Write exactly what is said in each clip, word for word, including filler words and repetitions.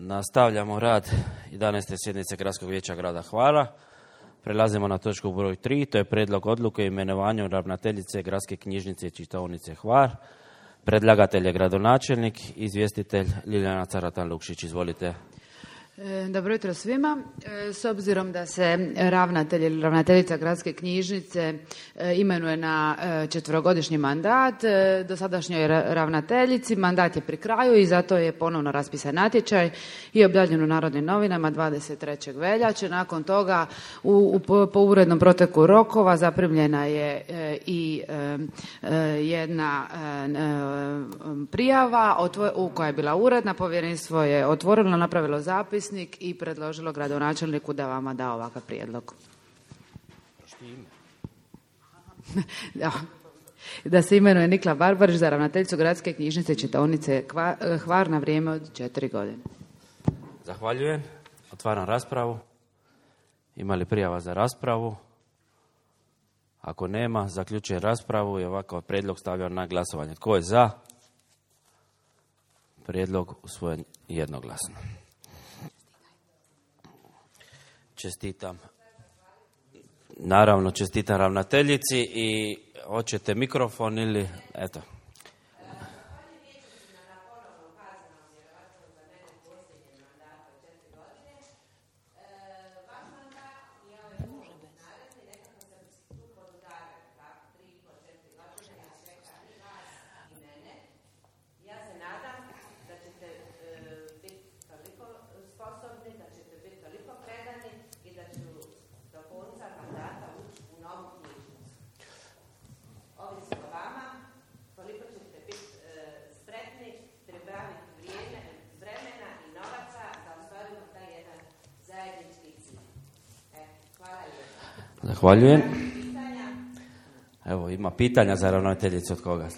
Nastavljamo rad jedanaeste sjednice Gradskog vijeća grada Hvara. Prelazimo na točku broj tri, to je prijedlog odluke o imenovanju ravnateljice Gradske knjižnice i čitaonice Hvar. Predlagatelj je gradonačelnik, izvjestitelj Ljiljana Caratan-Lukšić. Izvolite. Dobro jutro svima. S obzirom da se ravnatelj ili ravnateljica Gradske knjižnice imenuje na četverogodišnji mandat, dosadašnjoj ravnateljici mandat je pri kraju i zato je ponovno raspisan natječaj i objavljen u Narodnim novinama dvadeset trećeg veljače. Nakon toga u, u, po urednom proteku rokova zaprimljena je i jedna prijava otvo, koja je bila uredna. Povjerenstvo je otvorilo, napravilo zapis i predložilo gradonačelniku da vama da ovakav prijedlog. Da. Da se imenuje Nikla Barbarić za ravnateljicu Gradske knjižnice i čitaonice Hvar na vrijeme od četiri godine. Zahvaljujem. Otvaram raspravu. Ima li prijava za raspravu? Ako nema, zaključujem raspravu i ovakav prijedlog stavljam na glasovanje. Tko je za? Prijedlog usvojen jednoglasno. Čestitam. Naravno, čestitam ravnateljici i hoćete mikrofon ili eto. Zahvaljujem. Evo, ima pitanja za ravnateljicu od koga?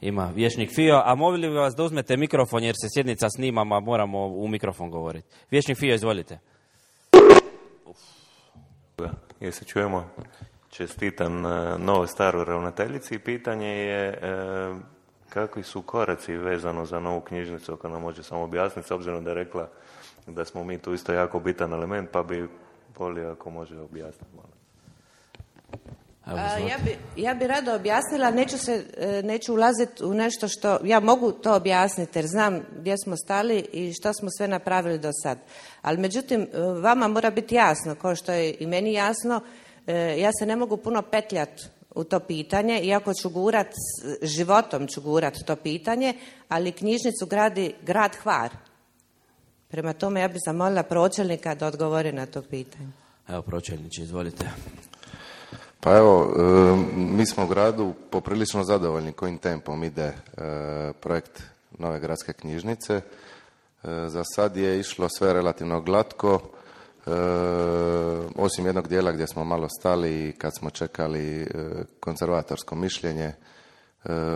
Ima vijećnik Fio, a molili bi vas da uzmete mikrofon jer se sjednica snima, a moramo u mikrofon govoriti. Vijećnik Fio, izvolite. Jel se čujemo? Čestitam novo staru ravnateljici i pitanje je e, kakvi su koraci vezano za novu knjižnicu, ako nam može samo objasniti, s obzirom da je rekla da smo mi tu isto jako bitan element, pa bi volio ako može objasniti malo. A, ja, bi, ja bi rado objasnila, neću, se, neću ulaziti u nešto što, ja mogu to objasniti jer znam gdje smo stali i što smo sve napravili do sad. Ali međutim, vama mora biti jasno, kao što je i meni jasno, ja se ne mogu puno petljati u to pitanje, iako ću gurat, životom ću gurat to pitanje, ali knjižnicu gradi grad Hvar. Prema tome ja bih zamolila pročelnika da odgovori na to pitanje. Evo, pročelniče, izvolite. Pa evo, mi smo u gradu poprilično zadovoljni kojim tempom ide projekt nove gradske knjižnice. Za sad je išlo sve relativno glatko, osim jednog dijela gdje smo malo stali kad smo čekali konzervatorsko mišljenje,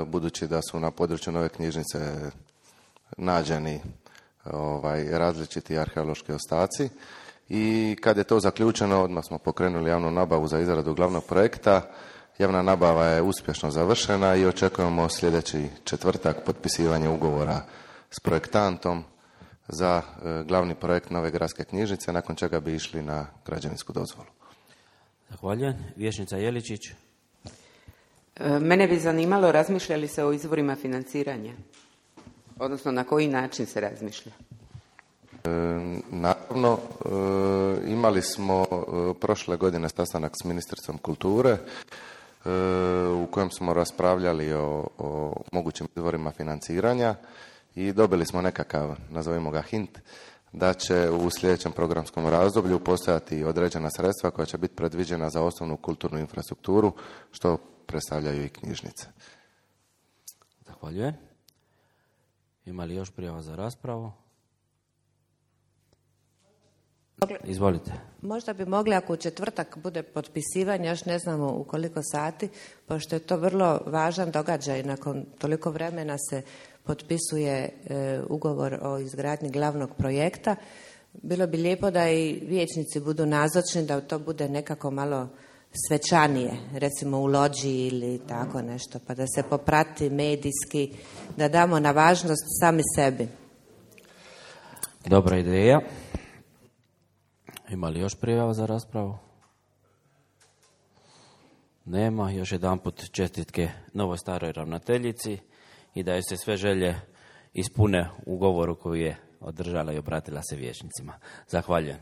budući da su na području nove knjižnice nađeni ovaj, različiti arheološki ostaci. I kad je to zaključeno, odmah smo pokrenuli javnu nabavu za izradu glavnog projekta. Javna nabava je uspješno završena i očekujemo sljedeći četvrtak potpisivanje ugovora s projektantom za e, glavni projekt nove gradske knjižnice, nakon čega bi išli na građevinsku dozvolu. Zahvaljujem. Vijećnica Jeličić. E, mene bi zanimalo, razmišlja li se o izvorima financiranja? Odnosno, na koji način se razmišlja? E, naravno, e, imali smo e, prošle godine sastanak s ministricom kulture e, u kojem smo raspravljali o, o mogućim izvorima financiranja i dobili smo nekakav, nazovimo ga hint, da će u sljedećem programskom razdoblju postojati određena sredstva koja će biti predviđena za osnovnu kulturnu infrastrukturu, što predstavljaju i knjižnice. Zahvaljujem. Ima li još prijava za raspravu? Izvolite. Možda bi mogli, ako u četvrtak bude potpisivanje, još ne znamo u koliko sati, pošto je to vrlo važan događaj, nakon toliko vremena se potpisuje e, ugovor o izgradnji glavnog projekta. Bilo bi lijepo da i vijećnici budu nazočni, da to bude nekako malo svečanije, recimo u lođi ili tako nešto, pa da se poprati medijski, da damo na važnost sami sebi. Dobra ideja. Ima li još prijava za raspravu? Nema. Još jedan put čestitke novoj staroj ravnateljici i da joj se sve želje ispune u govoru koju je održala i obratila se vijećnicima. Zahvaljujem.